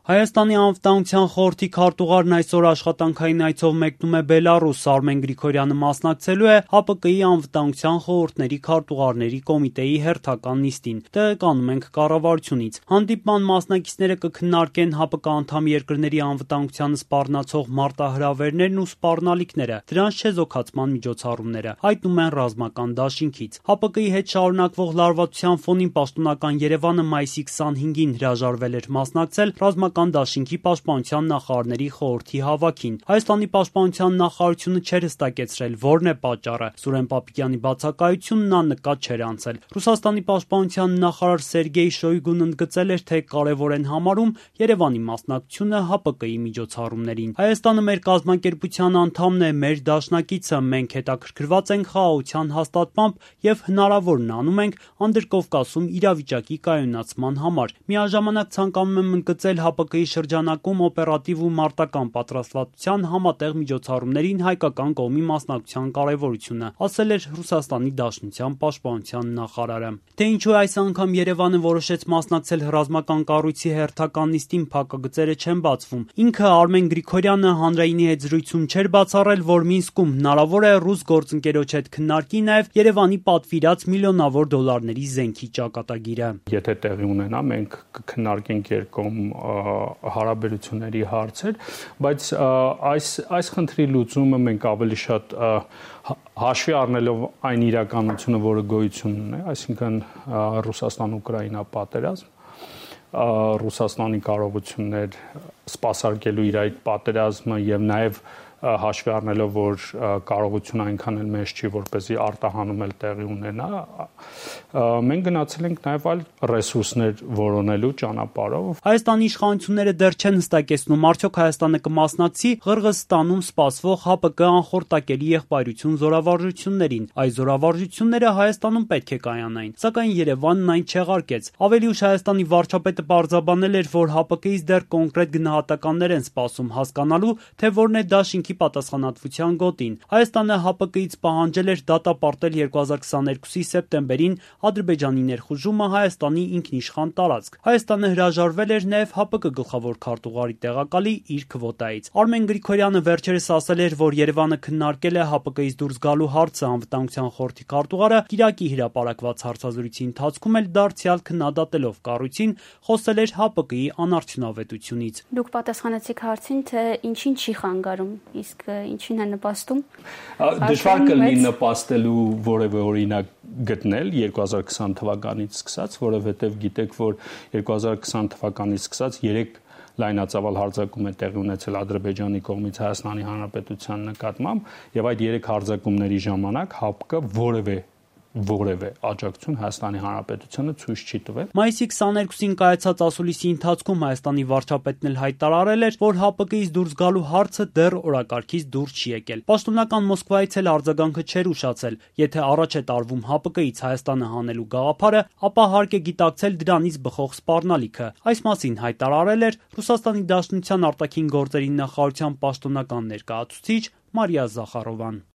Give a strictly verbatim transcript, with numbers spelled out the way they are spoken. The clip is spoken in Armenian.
Հայաստանի անվտանգության խորհրդի քարտուղարն այսօր աշխատանքային այցով մեկնում է Բելառուս։ Արմեն Գրիգորյանը մասնակցելու է ՀԱՊԿ-ի անվտանգության խորհուրդների քարտուղարների կոմիտեի հերթական նիստին։ Տեղեկանում ենք կառավարությունից։ Հանդիպման մասնակիցները կքննարկեն ՀԱՊԿ անդամ երկրների անվտանգությանը սպառնացող մարտահրավերներն ու սպառնալիքները, դրանց չեզոքացման միջոցառումները, հայտնում են ռազմական դաշինքից։ ՀԱՊԿ-ի հետ շարունակվող լարվածության ֆոնին պաշտոնական Երևանը մայիսի քսանհինգին հրաժարվել էր մասնակցել ռազմական դաշինքի պաշտպանության նախարարների խորհրդի հավաքին։ Հայաստանի պաշտպանության նախարարությունը չէր հստակեցրել որն է պատճառը։ Սուրեն Պապիկյանի բացակայությունն աննկատ չէր անցել։ Ռուսաստանի պաշտպանության նախարար Սերգեյ Շոյգուն ընդգծել էր, թե կարևոր են համարում Երևանի մասնակցությունը ՀԱՊԿ-ի միջոցառումներին։ Հայաստանը մեր կազմակերպության անդամն է, մեր դաշնակիցը, մենք հետաքրքրված ենք խաղաղության հաստատմամբ եւ հնարավորն անում ենք Անդրկովկասում իրավիճակի կայունացման համար։ Միաժամանակ ցանկանում եմ ընդգծել ՀԱՊԿ-ի շրջանակում օպերատիվ ու մարտական պատրաստվածության համատեղ միջոցառումներին հայկական կողմի մասնակցության կարևորությունը, ասել էր Ռուսաստանի Դաշնության պաշտպանության նախարարը։ Թե ինչու այս անգամ Երևանը որոշեց մասնակցել ռազմական կառույցի հերթական նիստին, փակագծերը չեն բացվում։ Ինքը Արմեն Գրիգորյանը հանրայինի հետ զրույցում չէր բացառել, որ Մինսկում հնարավոր է ռուս գործընկերոջ հետ քննարկի նաև Երևանի պատվիրած միլիոնավոր դոլարների զենքի ճակատագիրը։ Եթե տեղի ունենա, մենք կքննարկենք երկկողմ հարաբերությունների հարցեր, բայց այս այս խնդրի լուծումը մենք ավելի շատ հաշվի առնելով այն իրականությունը, որը գոյություն ունի, այսինքն Ռուսաստան-Ուկրաինա պատերազմ, Ռուսաստանի կարողություններ սպասարկելու իր այդ պատերազմը եւ նաեւ հաշվի առնելով, որ կարողությունը այնքան էլ մեծ չի, որպեսզի արտահանում էլ տեղի ունենա, մենք գնացել ենք նաև այլ ռեսուրսներ որոնելու ճանապարհով։ Հայաստանի իշխանությունները դեռ չեն հստակեցնում, արդյոք Հայաստանը կմասնակցի Ղրղըզստանում սպասվող ՀԱՊԿ անխորտակելի եղբայրություն զորավարժություններին։ Այս զորավարժությունները Հայաստանում պետք է կայանային, սակայն Երևանն այն չեղարկեց։ Ավելի ուշ Հայաստանի վարչապետը պարզաբանել էր, որ ՀԱՊԿ-ից դեռ կոնկրետ գնահատականներ են սպասում հասկանալու, թե որն է դաշինքի պատասխանատվության գոտին։ Հայաստանը ՀԱՊԿ-ից պահանջել էր դատապարտել երկու հազար քսաներկուսի սեպտեմբերին Ադրբեջանի ներխուժումը Հայաստանի ինքնիշխան տարածք։ Հայաստանը հրաժարվել էր նաև ՀԱՊԿ գլխավոր քարտուղարի տեղակալի իր քվոտայից։ Արմեն Գրիգորյանը վերջերս ասել էր, որ Երևանը քննարկել է ՀԱՊԿ-ից դուրս գալու հարցը։ Անվտանգության խորհրդի քարտուղարը Կիրակի հրապարակված հարցազրույցի ընթացքում էլ դարձյալ քննադատելով կառույցին, խոսել էր ՀԱՊԿ-ի անարդյունավետությունից։ Դուք պատասխանեցիք հարցին, թե ինչին չի խանգարում, իսկ ինչին է նպաստում։ Դժվար կլինի նպաստելու որևէ օրինակ գտնել երկու հազար քսան թվականից սկսած, որովհետև գիտեք, որ երկու հազար քսան թվականից սկսած երեք լայնածավալ հարձակում է տեղի ունեցել Ադրբեջանի կողմից Հայաստանի Հանրապետության նկատմամբ, եւ այդ երեք հարձակումների ժամանակ ՀԱՊԿ-ը որևէ որևէ աջակցություն Հայաստանի Հանրապետությանը ցույց չի տվել։ Մայիսի քսաներկուսին կայացած ասուլիսի ընթացքում Հայաստանի վարչապետն էլ հայտարարել էր, որ ՀԱՊԿ-ից դուրս գալու հարցը դեռ օրակարգից դուրս չի եկել։ Պաշտոնական Մոսկվայից էլ արձագանքը չէր ուշացել։ Եթե առաջ է տարվում ՀԱՊԿ-ից Հայաստանը հանելու գաղափարը, ապա հարկ է գիտակցել դրանից բխող սպառնալիքը։ Այս մասին հայտարարել էր Ռուսաստանի Դաշնության արտաքին գործերի նախարարության պաշտոնական ներկայացուցիչ Մարիա Զախարովան։